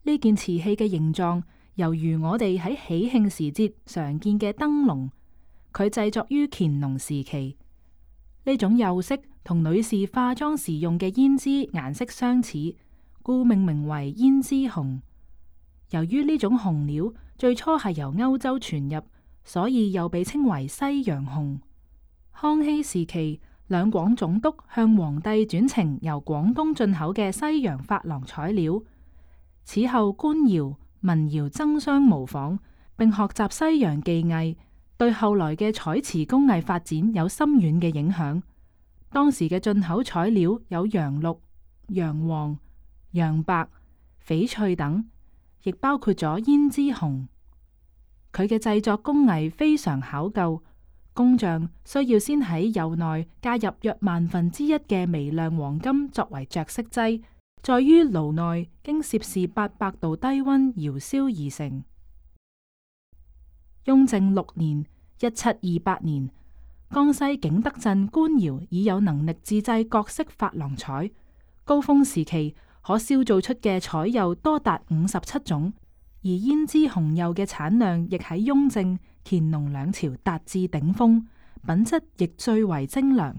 呢件瓷器嘅形狀猶如我哋喺喜慶時節常見嘅燈籠。佢製作於乾隆時期。呢種釉色同女士化妝時用嘅胭脂顏色相似，故命名為胭脂紅。由於呢種紅料最初係由歐洲傳入，所以又被稱為西洋紅。康熙時期，兩廣總督向皇帝轉呈由廣東進口嘅西洋珐琅彩料。此後官窯、民窯爭相模仿，並學習西洋技藝，對後來嘅彩瓷工藝發展有深遠嘅影響。當時嘅進口彩料有洋綠、洋黃、洋白、翡翠等，亦包括咗胭脂紅。佢嘅製作工藝非常考究，工匠需要先喺釉內加入約1/1000嘅微量黃金作為着色劑，再於爐內經攝氏800度低溫窯燒而成。雍正6年（1728年），江西景德鎮官窯已有能力自製各式珐琅彩，高峰時期可燒造出嘅彩釉多達57種。而胭脂紅釉嘅產量亦喺雍正、乾隆兩朝達至頂峰，品質亦最為精良。